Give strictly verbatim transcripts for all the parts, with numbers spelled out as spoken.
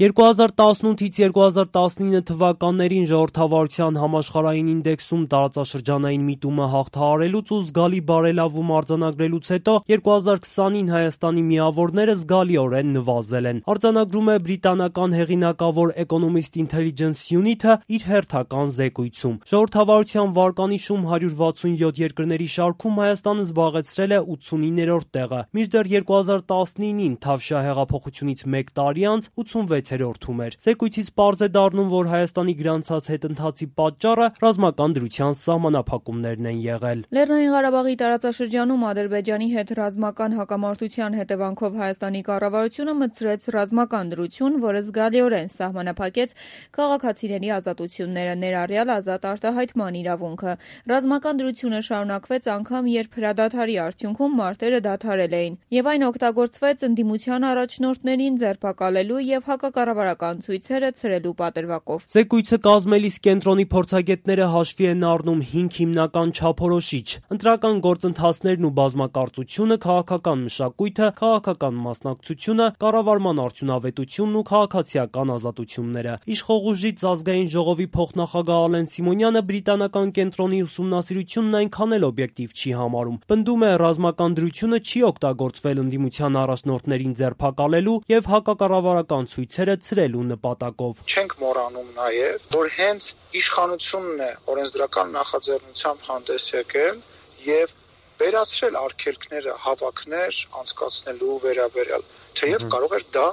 երկու հազար տասնութից երկու հազար տասնինը թվականներին ժողովրդավարության համաշխարհային ինդեքսում տարածաշրջանային միտումը հաղթահարելուց ու զգալի բարելավում արձանագրելուց հետո երկու հազար քսանին Հայաստանի միավորները զգալիորեն նվազել են։ Արձանագրում է բրիտանական հեղինակավոր Economist Intelligence Unit-ը իր հերթական զեկույցում։ Ժողովրդավարության վարկանիշում հարյուր վաթսունյոթ երկրների շարքում Հայաստանը զբաղեցրել է ութսունիններորդ տեղը, մինչդեռ երկու հազար տասնինին Թավշյա հեղափոխությունից մեկ տարի անց ութսունվեցերորդում էր։ Զեկույցից պարզ է դառնում, որ Հայաստանի գրանցած հետընթացի պատճառը ռազմական դրության սահմանափակումներն են եղել։ Լեռնային Ղարաբաղի տարածաշրջանում Ադրբեջանի հետ ռազմական հակամարտության հետևանքով Հայաստանի կառավարությունը մտցրեց ռազմական դրություն, որը զգալիորեն սահմանափակեց քաղաքացիների ազատությունները, ներառյալ ազատ արտահայտման իրավունքը։ Ռազմական դրությունը շարունակվեց անգամ, երբ հրադադարի արդյունքում մարտերը դադարել էին, եւ այն օգտագործվեց ընդդիմության առաջնորդներին ձերբակալելու եւ հակակառավարական ցույցերը ցրելու պատրվակով։ Զեկույցը կազմելիս կենտրոնի փորձագետները հաշվի են առնում հինգ հիմնական չափորոշիչ՝ ընտրական գործընթացներն ու բազմակարծությունը, քաղաքական մշակույթը, քաղաքական մասնակցությունը, կառավարման արդյունավետությունն ու քաղաքացիական ազատությունները։ Իշխող ուժից Ազգային ժողովի փոխնախագահ Ալեն Սիմոնյանը բրիտանական կենտրոնի ուսումնասիրությունն այնքան էլ օբյեկտիվ չի համարում։ Պնդում է, ռազմական դրությունը չի օգտագործվել ընդդիմության առաջնորդներին ձերբակալելու եւ հակակառավարական ցույցերը ցրելու նպատակով։ Չենք մոռանում նաեւ, որ հենց իշխանությունն է օրենսդրական նախաձեռնությամբ հանդես եկել եւ վերացրել արգելքները հավաքներ անցկացնելու վերաբերյալ, թեև կարող էր դա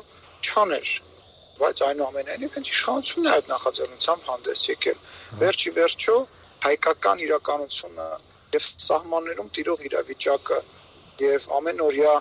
չանել, բայց այնուամենայնիվ հենց իշխանությունն է այդ նախաձեռնությամբ հանդես եկել։ Վերջի վերջո հայկական իրականությունը եւ սահմաններում տիրող իրավիճակը եւ ամենօրյա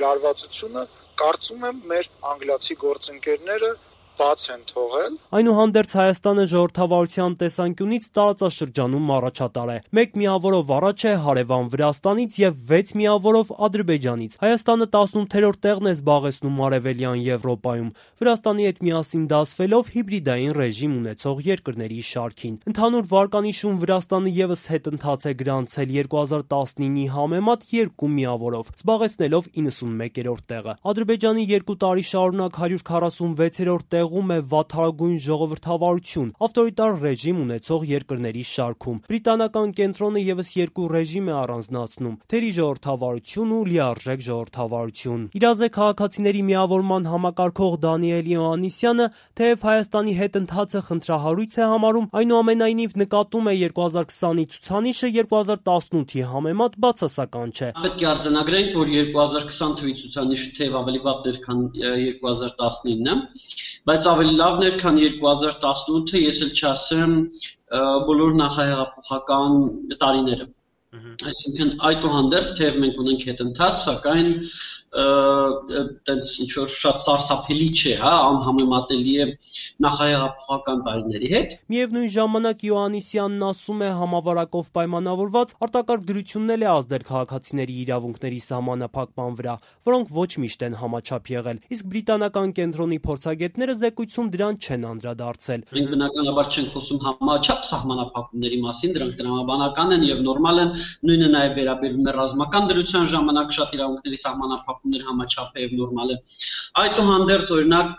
լարվածությունը կարծում եմ մեր անգլիացի գործընկերները բաց են թողել։ Այնուհանդերձ Հայաստանը ժողովրդավարության տեսանկյունից տարածաշրջանում առաջատար է։ Մեկ միավորով առաջ է հարևան Վրաստանից եւ վեց միավորով Ադրբեջանից։ Հայաստանը տասնութերորդ տեղն է զբաղեցնում Արևելյան Եվրոպայում, Վրաստանի հետ միասին դասվելով հիբրիդային ռեժիմ ունեցող երկրների շարքին։ Ընդհանուր վարկանիշում Վրաստանը եւս հետընթաց է գրանցել երկու հազար տասնինի համեմատ երկու միավորով, զբաղեցնելով իննսունմեկերորդ տեղը։ Ադրբեջանի երկու տարի շարունակ հարյուր քառասունվեցերորդ տեղում է վատթարագույն ժողովրդավարություն, ավտորիտար ռեժիմ ունեցող երկրների շարքում։ Բրիտանական կենտրոնը եւս երկու ռեժիմ է առանձնացնում՝ թերի ժողովրդավարություն ու լիարժեք ժողովրդավարություն։ Իրազեկ քաղաքացիների միավորման համակարգող Դանիել Իոաննիսյանը, թեև Հայաստանի հետընթացը խնդրահարույց է համարում, այնուամենայնիվ նկատում է երկու հազար քսանի ցուցանիշը երկու հազար տասնութի համեմատ բացասական չէ։ Պետք է արձանագրենք, որ երկու հազար քսան թվականի ցուցանիշը թեև ավելի վատն էր, քան երկու հազար տասնինը, բայց ավելի լավն էր, քան երկու հազար տասնութը, ես էլ չասեմ բոլոր նախահեղափոխական տարիները։ Այսինքն այդուհանդերձ թեև մենք ունենք հետընթաց, սակայն տենց ինչ որ շատ սարսափելի չէ, հա, անհամեմատելի է նախահեղափոխական տարիների հետ։ Միևնույն ժամանակ Իոաննիսյանն ասում է, համավարակով պայմանավորված արտակարգ դրությունն էլ է ազդել քաղաքացիների իրավունքների սահմանափակման վրա, որոնք ոչ միշտ են համաչափ եղել, իսկ բրիտանական կենտրոնի փորձագետները զեկույցում դրան չեն անդրադարձել։ Մենք բնականաբար չենք խոսում համաչափ սահմանափակումների մասին, դրանք տրամաբանական են եւ նորմալ են, նույնը նաեւ վերաբերվում է ռազմական դրության ժամանակ շատ իրավունքների սահմանափակումներ համաչափ է եւ նորմալ է։ Այդուհանդերձ, օրինակ,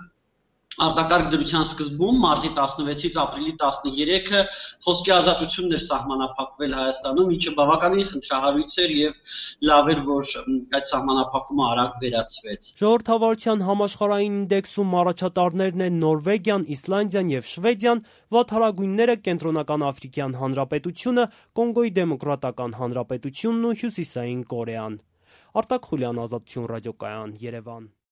արտակարգ դրության սկզբում մարտի տասնվեցից ապրիլի տասներեքը խոսքի ազատությունն էր սահմանափակվել Հայաստանում, ինչը բավականին խնդրահարույց էր եւ լավ էր, որ այդ սահմանափակումը արագ վերացվեց։ Ժողովրդավարության համաշխարհային ինդեքսում առաջատարներն են Նորվեգիան, Իսլանդիան եւ Շվեդիան, վատթարագույնները Կենտրոնական Աֆրիկյան Հանրապետությունը, Կոնգոյի Դեմոկրատական Հանրապետությունն ու Հյուսիսային Կորեան։ Արտակ Խուլյան, Ազատություն ռադիոկայան, Երևան։